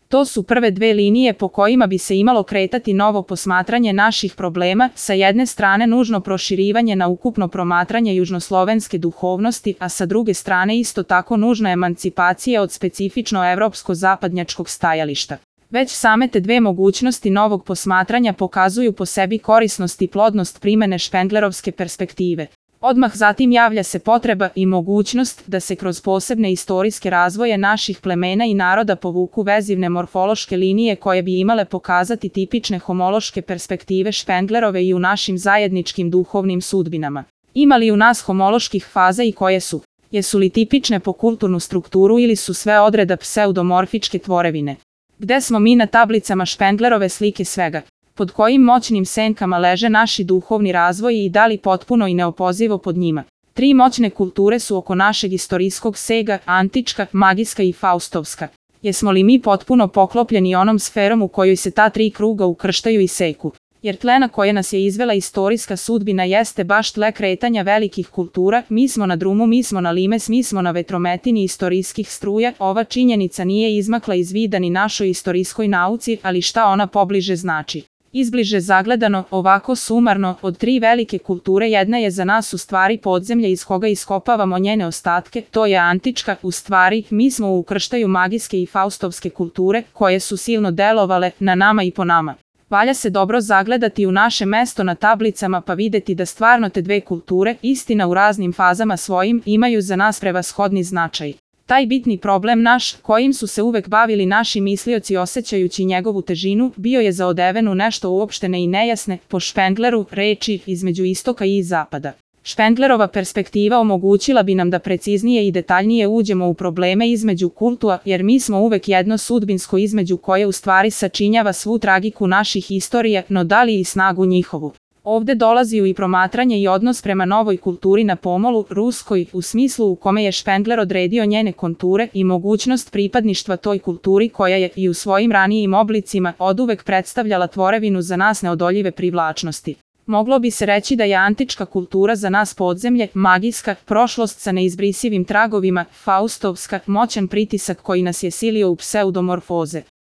To su prve dve linije po kojima bi se imalo kretati novo posmatranje naših problema, sa jedne strane nužno proširivanje na ukupno promatranje južnoslovenske duhovnosti, a sa druge strane isto tako nužna emancipacija od specifično evropsko-zapadnjačkog stajališta. Već same te dve mogućnosti novog posmatranja pokazuju po sebi korisnost i plodnost primene špenglerovske perspektive. Odmah zatim javlja se potreba i mogućnost da se kroz posebne istorijske razvoje naših plemena i naroda povuku vezivne morfološke linije koje bi imale pokazati tipične homološke perspektive Špenglerove i u našim zajedničkim duhovnim sudbinama. Ima li u nas homoloških faza i koje su? Jesu li tipične po kulturnu strukturu ili su sve odreda pseudomorfičke tvorevine? Gde smo mi na tablicama Špenglerove slike svega? Pod kojim moćnim senkama leže naši duhovni razvoj i da li potpuno i neopozivo pod njima? Tri moćne kulture su oko našeg istorijskog sega, antička, magijska i faustovska. Jesmo li mi potpuno poklopljeni onom sferom u kojoj se ta tri kruga ukrštaju i seku? Jer tle na koje nas je izvela istorijska sudbina jeste baš tle kretanja velikih kultura, mi smo na drumu, mi smo na limes, mi smo na vetrometini istorijskih struja, ova činjenica nije izmakla iz vida ni našoj istorijskoj nauci, ali šta ona pobliže znači? Izbliže zagledano, ovako sumarno, od tri velike kulture jedna je za nas u stvari podzemlje iz koga iskopavamo njene ostatke, to je antička, u stvari, mi smo u ukrštaju magijske i faustovske kulture, koje su silno delovale na nama i po nama. Valja se dobro zagledati u naše mesto na tablicama pa videti da stvarno te dve kulture, istina u raznim fazama svojim, imaju za nas prevashodni značaj. Taj bitni problem naš, kojim su se uvek bavili naši mislioci osjećajući njegovu težinu, bio je zaodeven u nešto uopštene i nejasne, po Špengleru, reči između istoka i zapada. Špenglerova perspektiva omogućila bi nam da preciznije i detaljnije uđemo u probleme između kultua, jer mi smo uvek jedno sudbinsko između koje u stvari sačinjava svu tragiku naših istorija, no da li i snagu njihovu. Ovde dolazi i promatranje i odnos prema novoj kulturi na pomolu, ruskoj, u smislu u kome je Špengler odredio njene konture i mogućnost pripadništva toj kulturi koja je i u svojim ranijim oblicima oduvek predstavljala tvorevinu za nas neodoljive privlačnosti. Moglo bi se reći da je antička kultura za nas podzemlje, magijska, prošlost sa neizbrisivim tragovima, faustovska, moćan pritisak koji nas je silio u pseudomorfoze.